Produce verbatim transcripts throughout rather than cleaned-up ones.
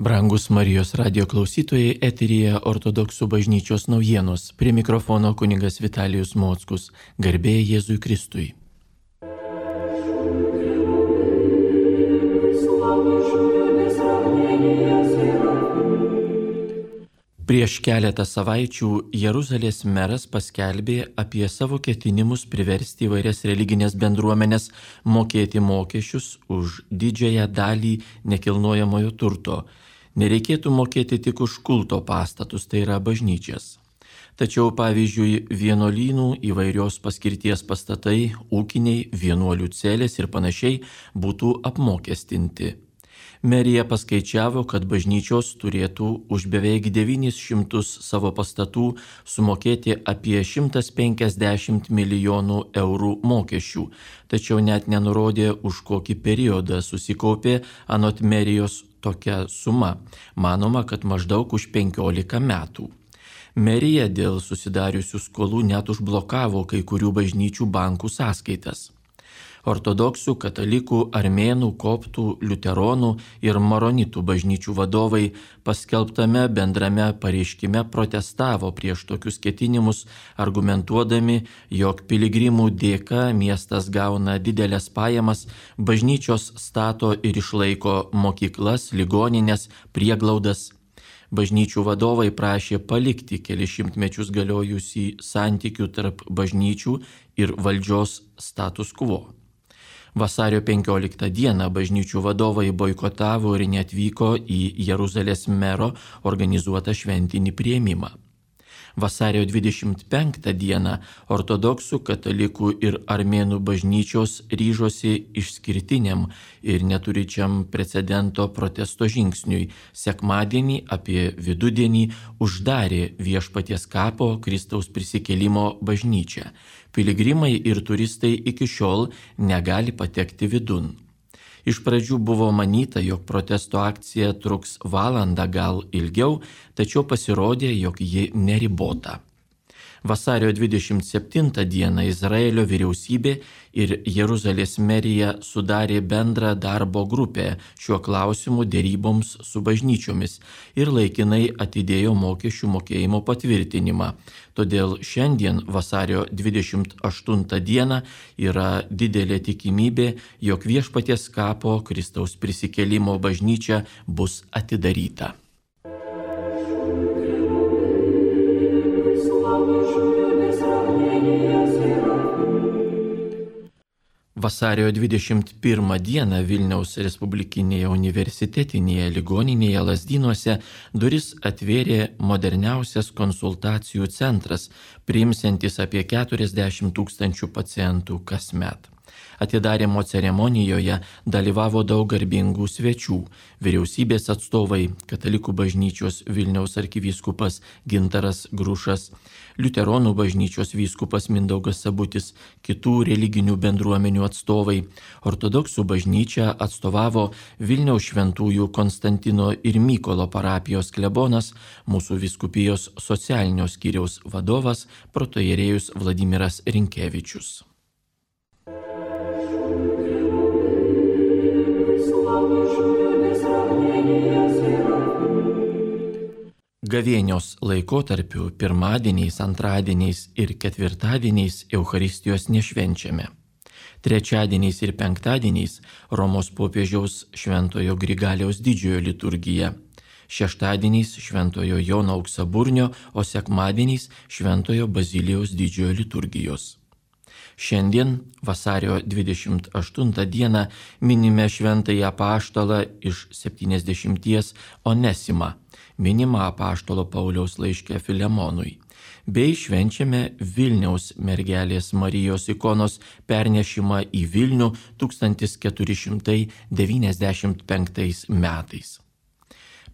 Brangus Marijos radijo klausytojai, eteryje Ortodoksų bažnyčios naujienos. Prie mikrofono kunigas Vitalijus Mockus. Garbė Jėzui Kristui. Prieš keletą savaičių Jeruzalės meras paskelbė apie savo ketinimus priversti įvairias religinės bendruomenės mokėti mokesčius už didžiąją dalį nekilnojamojo turto. Nereikėtų mokėti tik už kulto pastatus, tai yra bažnyčias. Tačiau pavyzdžiui, vienuolynų įvairios paskirties pastatai, ūkiniai, vienuolių celės ir panašiai būtų apmokestinti. Merija paskaičiavo, kad bažnyčios turėtų už beveik devynis šimtus savo pastatų sumokėti apie šimtas penkiasdešimt milijonų eurų mokesčių, tačiau net nenurodė, už kokį periodą susikaupė anot merijos tokia suma. Manoma, kad maždaug už penkiolika metų. Merija dėl susidariusių skolų net užblokavo kai kurių bažnyčių bankų sąskaitas. Ortodoksų, katalikų, armėnų, koptų, liuteronų ir maronitų bažnyčių vadovai paskelbtame bendrame pareiškime protestavo prieš tokius ketinimus, argumentuodami, jog piligrimų dėka miestas gauna didelės pajamas, bažnyčios stato ir išlaiko mokyklas, ligonines, prieglaudas. Bažnyčių vadovai prašė palikti kelias šimtmečius galiojusį santykių tarp bažnyčių ir valdžios status quo. Vasario penkioliktą dieną bažnyčių vadovai boikotavo ir neatvyko į Jeruzalės mero organizuotą šventinį priėmimą. Vasario dvidešimt penktą dieną ortodoksų, katalikų ir armėnų bažnyčios ryžosi išskirtiniam ir neturičiam precedento protesto žingsniui. Sekmadienį apie vidudienį uždarė Viešpaties kapo Kristaus prisikėlimo bažnyčią. Piligrimai ir turistai iki šiol negali patekti vidun. Iš pradžių buvo manyta, jog protesto akcija truks valandą gal ilgiau, tačiau pasirodė, jog ji neribota. Vasario dvidešimt septintą dieną Izraelio vyriausybė ir Jeruzalės merija sudarė bendrą darbo grupę šiuo klausimu deryboms su bažnyčiomis ir laikinai atidėjo mokesčių mokėjimo patvirtinimą. Todėl šiandien vasario dvidešimt aštuntą dieną yra didelė tikimybė, jog Viešpaties kapo Kristaus prisikėlimo bažnyčia bus atidaryta. Vasario dvidešimt pirmą dieną Vilniaus Respublikinėje universitetinėje ligoninėje Lazdynuose duris atvėrė moderniausias konsultacijų centras, priimsiantis apie keturiasdešimt tūkstančių pacientų kasmet. Atidarymo ceremonijoje dalyvavo daug garbingų svečių – vyriausybės atstovai, katalikų bažnyčios Vilniaus arkivyskupas Gintaras Grušas, liuteronų bažnyčios vyskupas Mindaugas Sabutis, kitų religinių bendruomenių atstovai. Ortodoksų bažnyčią atstovavo Vilniaus šventųjų Konstantino ir Mykolo parapijos klebonas, mūsų vyskupijos socialinio skyriaus vadovas protoierėjus Vladimiras Rinkevičius. Gavėnios laikotarpiu pirmadieniais, antradieniais ir ketvirtadieniais Eucharistijos nešvenčiame. Trečiadieniais ir penktadieniais Romos popiežiaus Šventojo Grigaliaus didžiojo liturgija. Šeštadieniais Šventojo Jono Auksaburnio, o sekmadieniais Šventojo Bazilijaus didžiojo liturgijos. Šiandien, vasario dvidešimt aštuntą dieną, minime šventąjį apaštalą iš septyniasdešimties Onesimą, minimą apaštalo Pauliaus laiške Filemonui, bei švenčiame Vilniaus mergelės Marijos ikonos pernešimą į Vilnių tūkstantis keturi šimtai devyniasdešimt penktais metais.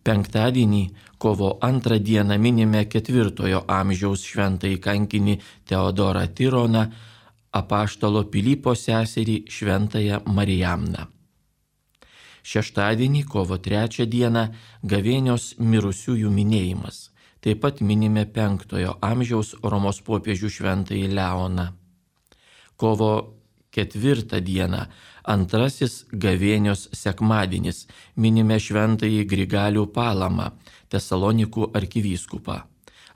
Penktadienį, kovo antrą dieną, minime ketvirtojo amžiaus šventąjį kankinį Teodorą Tironą, apaštalo Pilypo seserį šventąją Marijamną. Šeštadienį, kovo trečią dieną, gavėnios mirusiųjų minėjimas. Taip pat minime penktojo amžiaus Romos popiežių šventąjį Leoną. Kovo ketvirtą dieną, antrasis gavėnios sekmadienis, minime šventąjį Grigalių Palamą, Tesalonikų arkivyskupą,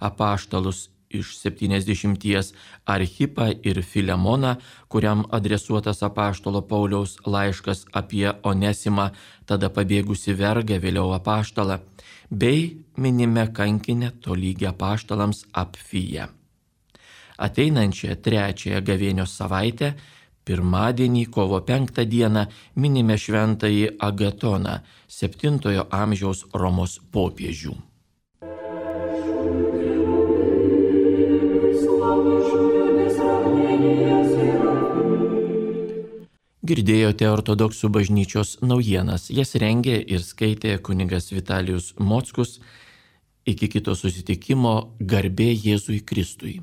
apaštalus iš septyniasdešimties Archipą ir Filemoną, kuriam adresuotas apaštalo Pauliaus laiškas apie Onesimą, tada pabėgusi vergą, vėliau apaštalą, bei minime kankinę tolygiai apaštalams Apfiją. Ateinančią trečiąją gavėnios savaitę, pirmadienį kovo penktą dieną, minime šventąjį Agatoną, septintojo amžiaus Romos popiežių. Girdėjote ortodoksų bažnyčios naujienas, jas rengė ir skaitė kunigas Vitalijus Mockus. Iki kito susitikimo, garbė Jėzui Kristui.